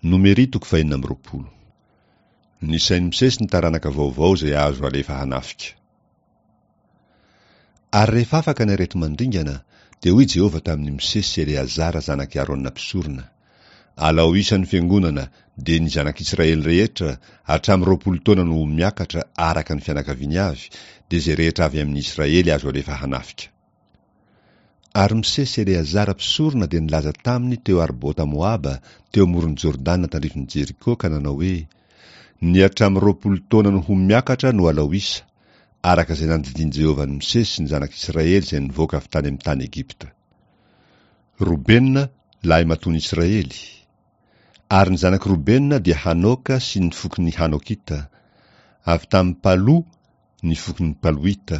Nomery toko fahenina amby 20. Nisain'i Mosesy ny taranaka vaovao izay azo alefa hanafika. Ary rehefa afaka ny areti-mandringana, dia hoy Jehovah tamin'i Mosesy sy Eleazara zanak'i Arona mpisorona, Alao isa ny fiangonana, dia ny zanak'Israely rehetra, hatramin'ny 20 taona no ho miakatra araka ny fianakaviany avy, dia izay rehetra avy amin'ny Israely azo alefa hanafika. Ary Mosesy sy Eleazara mpisorona dia nilaza taminy teo Arbota Moaba, teo amoron'i Jordana tandrifin'i Jeriko, ka nanao hoe, Ny hatramin'ny 20 taona no ho miakatra no alao isa, araka izay nandidian'i Jehovah an'i Mosesy sy ny zanak'Israely izay nivoaka avy tany amin'ny tany Egypta. Robena, lahimatoan'i Israely. Ary ny zanak'i Robena dia Hanoka sy ny fokon'ny Hanokita. Avy tamin'i Palo ny fokon'ny Paloita.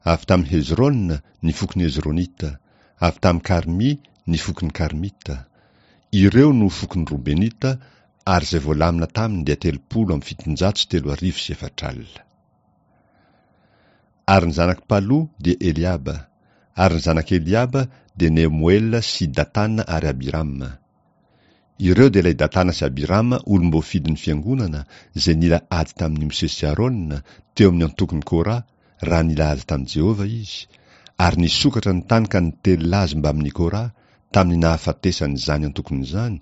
Avy tamin'i Hezrona ny fokon'ny Hezronita, avy tamin'i Karmy ny fokon'ny Karmita. Ireo no fokon'ny Robenita, ary izay voalamina taminy dia 3470. Ary ny zanak'i Palo dia Eliaba, ary ny zanak'i Eliaba dia Nemoela sy Datana ary Abirama. Ireo dia ilay Datana sy Abirama olom-boafidin'ny fiangonana izay nila ady tamin'i Mosesy sy Arona teo amin'ny antokon'i Kora raha nila ady tamin'i Jehovah izy, ary nisokatra ny tany ka nitelina azy mbamin'i Kora tamin'ny nahafatesan'izany antokony izany,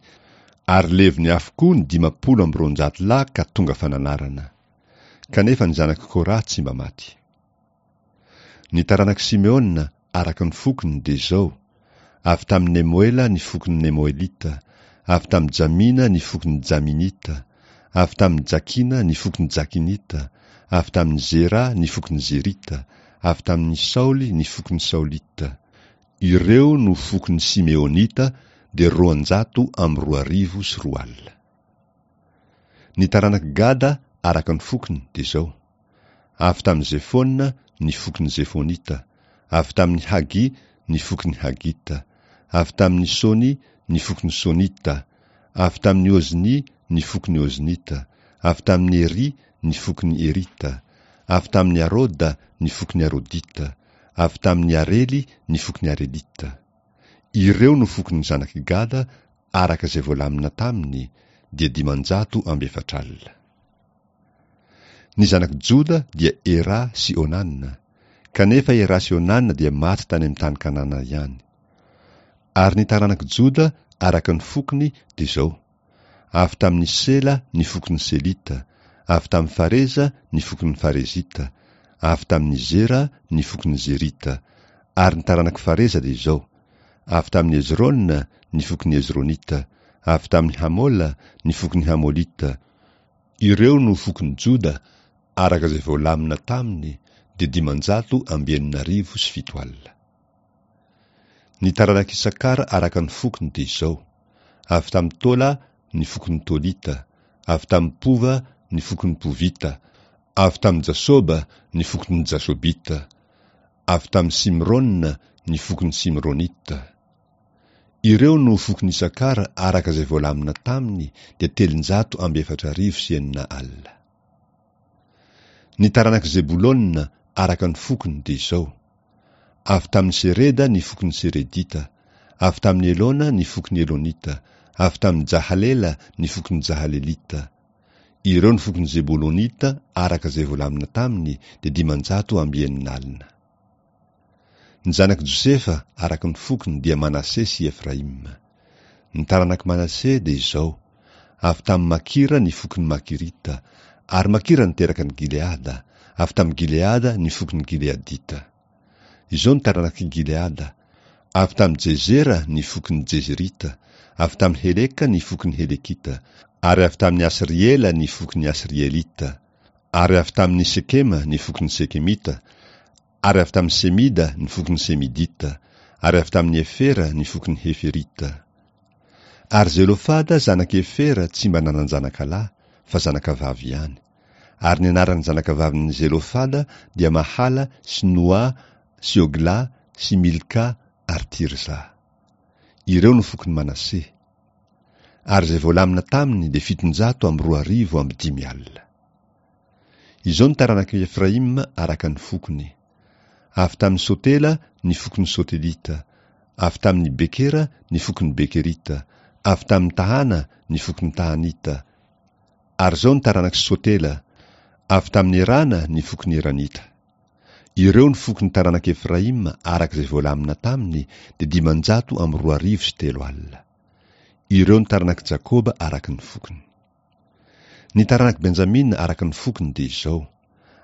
ary levony avokoa ny 250 lahy ka tonga fananarana. Kanefa ny zanak'i Kora tsy mba maty. Ny taranak'i Simeona, araka ny fokony, dia izao, avy tamin'i Nemoela ny fokon'ny Nemoelita, avy tamin'i Jamina ny fokon'ny Jaminita, avy tamin'i Jakina ny fokon'ny Jakinita, avy tamin'i Zera ny fokon'ny Zerita, avy tamin'i Saoly ny fokon'ny Saolita. Ireo no fokon'ny Simeonita, dia 2200. Ny taranak'i Gada, araka ny fokony, dia izao, Avy tamin'i Zefona ny fokon'ny Zefonita, avy tamin'i Hagy ny fokon'ny Hagita, avy tamin'i Sony ny fokon'ny Sonita, avy tamin'i Ozny ny fokon'ny Oznita, avy tamin'i Ery ny fokon'ny Erita, avy tamin'i Aroda ny fokon'ny Arodita, avy tamin'i Arely ny fokon'ny Arelita. Ireo no fokon'ny zanak'i Gada araka izay voalamina taminy, dia 440. Ny zanak'i Joda dia Era sy Onana, kanefa Era sy Onana dia maty tany amin'ny tany Kanana ihany. Ary ny taranak'i Joda araka ny fokony dia izao, avy tamin'i Sela ny fokon'ny Selita, avy tamin'i Fareza ny fokon'ny Farezita, avy tamin'i Zera ny fokon'ny Zerita, ary ny taranak'i Fareza dia izao, avy tamin'i Hezrona ny fokon'ny Hezronita, avy tamin'i Hamola ny fokon'ny Hamolita, Ireo no fokon'i Joda, araka izay voalamina taminy, dia 660. Ny taranak'i Isakara araka ny fokony dia izao, avy tamin'i Tola ny fokon'ny Tolita, avy tamin'i Pova ny fokon'ny Povita, avy tamin'i Jasoba ny fokon'ny Jasobita, avy tamin'i Simrona ny fokon'ny Simronita. Ireo no fokon'i Isakara araka izay voalamina taminy dia 604. Ny taranak'i Zebolona araka ny fokony dia izao, avy tamin'i Sereda ny fokon'ny Seredita, avy tamin'i Elona ny fokon'ny Elonita, avy tamin'i Jahalela ny fokon'ny Jahalelita. Ireo no fokon'ny Zebolonita araka izay voalamina taminy dia 560. Ny zanak'i Josefa araka ny fokony dia Manase sy Efraima. Ny taranak'i Manase dia izao, avy tamin'i Makira ny fokon'ny Makirita, ary Makira niteraka an'i Gileada, avy tamin'i Gileada ny fokon'ny Gileadita. Izao ny taranak'i Gileada, avy tamin'i Jezera ny fokon'ny Jezerita, avy tamin'i Heleka ny fokon'ny Helekita, ary avy tamin'i Asriela ny fokon'ny Asrielita, ary avy tamin'i Sekema ny fokon'ny Sekemita, ary avy tamin'i Semida ny fokon'ny Semidita, ary avy tamin'i Hefera ny fokon'ny Heferita. Ary Zelofada zanak'i Hefera tsy mba nanan-janaka lahy, fa zanakavavy ihany. Ary ny anaran'ny zanakavavin'i Zelofada dia Mahala sy Noa sy Hogla sy Milka ary Tirza. Ireo no fokon'i Manase. Ary izay voalamina taminy dia 570. Izao ny taranak'i Efraima araka ny fokony, Avy tamin'i Sotela ny fokon'ny Sotelita, avy tamin'i Bekera ny fokon'ny Bekerita, Avy tamin'i Tahana ny fokon'ny Tahanita. Ary izao ny taranak'i Sotela, Avy tamin'i Erana ny fokon'ny Eranita. Ireo ny fokon'ny taranak'i Efraima araka izay voalamina taminy dia 2500. Ireo ny taranak'i Jakoba araka ny fokony. Ny taranak'i Benjamina araka ny fokony dia izao,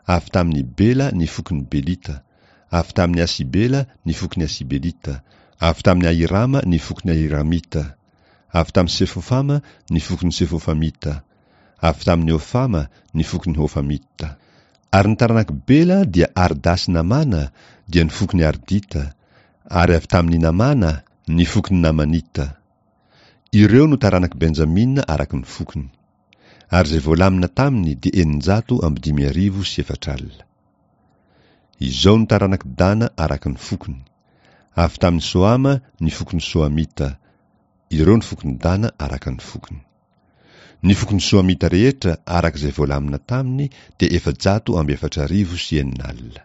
Avy tamin'i Bela ny fokon'ny Belita, avy tamin'i Asibela ny fokon'ny Asibelita, avy tamin'i Ahirama ny fokon'ny Ahiramita, avy tamin'i Sefofama ny fokon'ny Sefofamita, avy tamin'i Hofama ny fokon'ny Hofamita. Ary ny taranak'i Bela dia Arda sy Namàna, dia ny fokon'ny Ardita, ary avy tamin'i Namàna ny fokon'ny Namanita. Ireo no taranak'i Benjamina araka ny fokony. Ary izay voalamina taminy dia 4006. Izao no taranak'i Dana araka ny fokony, Avy tamin'i Sohama ny fokon'ny Sohamita, ireo ny fokon'i Dana araka ny fokony. Ny fokon'ny Sohamita rehetra araka izay voalamina taminy dia 640 600.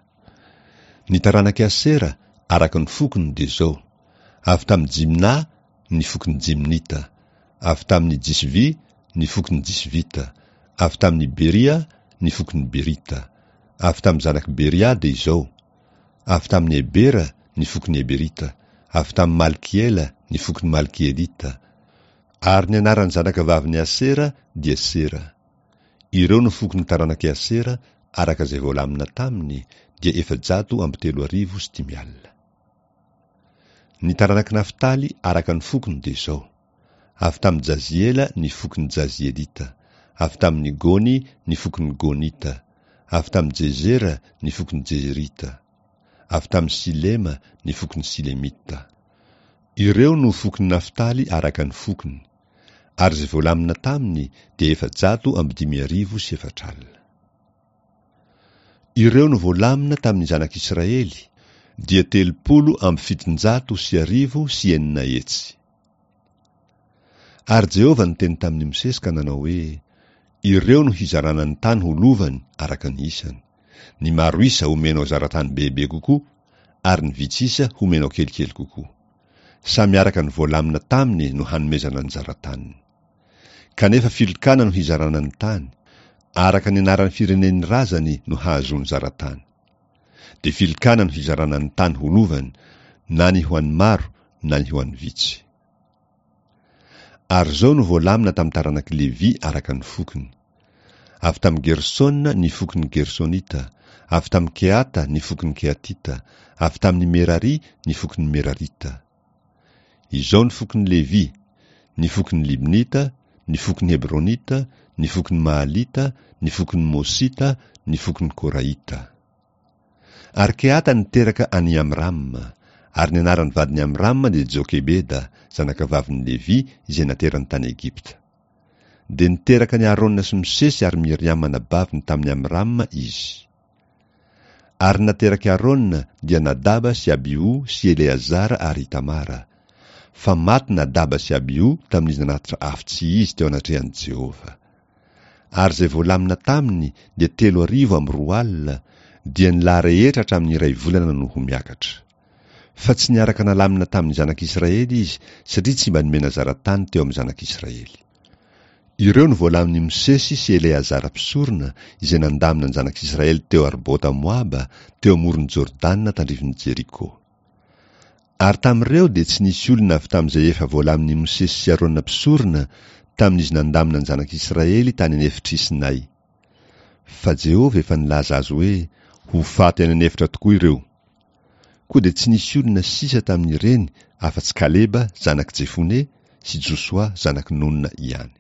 Ny taranak'i Asera araka ny fokony dia izao, Avy tamin'i Jimna ny fokon'ny Jimnita, avy tamin'i Jisvy ny fokon'ny Jisvita, avy tamin'i Beria ny fokon'ny Berita, avy tamin'ny zanak'i Beria dia izao, avy tamin'i Hebera ny fokon'ny Heberita, avy tamin'i Malkiela ny fokon'ny Malkielita, ary ny anaran'ny zanakavavin'i Asera dia Sera. Ireo no fokon'ny taranak'i Asera araka izay voalamina taminy dia 500 350. Ny taranak'i Naftaly araka ny fokony dia izao, Avy tamin'i Jaziela ny fokon'ny Jazielita, avy tamin'i Gony ny fokon'ny Gonita, avy tamin'i Jezera ny fokon'ny Jezerita, avy tamin'i Silema ny fokon'ny Silemita. Ireo no fokon'i Naftaly araka ny fokony, ary izay voalamina taminy dia 405 400. Ireo no voalamina tamin'ny zanak'Israely, dia 637 600. Ary Jehovah niteny tamin'i Mosesy ka nanao hoe, Ireo no hizarana ny tany ho lovany araka ny isany. Ny maro isa homenao zaratany bebe kokoa, ary ny vitsy isa homenao kelikely kokoa. Samy araka ny voalamina taminy no hanomezana ny zarataniny. Kanefa filokana no hizarana ny tany, araka ny anaran'ny firenen'ny razany no hahazoany zaratany. Dia filokana no hizarana ny tany ho lovany, na ny ho an'ny maro na ny ho an'ny vitsy. Ary izao no voalamina tamin'ny taranak'i Levy araka ny fokony, Avy tamin'i Gersona ny fokon'ny Gersonita, avy tamin'i Kehata ny fokon'ny Kehatita, avy tamin'i Merary ny fokon'ny Merarita. Izao ny fokon'i Levy, ny fokon'ny Libnita, ny fokon'ny Hebronita, ny fokon'ny Mahalita, ny fokon'ny Mosita, ny fokon'ny Korahita. Ary Kehata niteraka an'i Amrama, ary ny anaran'ny vadin'i Amrama dia Jokebeda, zanakavavin'i Levy izay naterany tany Egypta. Dia niteraka an'i Arona sy Mosesy ary Miriama anabaviny tamin'i Amrama izy. Ary ny naterak'i Arona dia Nadaba sy Abiho sy Eleazara ary Itamara. Fa maty Nadaba sy Abiho tamin'izy nanatitra afo tsy izy teo anatrehan'i Jehovah. Ary izay voalamina taminy dia 20 300, dia ny lahy rehetra hatramin'ny iray volana no ho miakatra. Fa tsy niaraka nalamina tamin'ny zanak'Israely izy, satria tsy mba nomena zara-tany teo amin'ny zanak'Israely. Ireo no voalamin'i Mosesy sy Eleazara mpisorona, izay nandamina ny zanak'Israely teo Arbota Moaba, teo amoron'i Jordana tandrifin'i Jeriko. Ary tamin'ireo dia tsy nisy olona avy tamin'izay efa voalamin'i Mosesy sy Arona mpisorona, tamin'izy nandamina ny zanak'Israely tany an'efitr'i Sinay. Fa Jehovah efa nilaza azy hoe, Ho faty any an'efitra tokoa ireo. Koa dia tsy nisy olona sisa tamin'ireny afa-tsy Kaleba zanak'i Jefone sy Josoa zanak'i Nona ihany.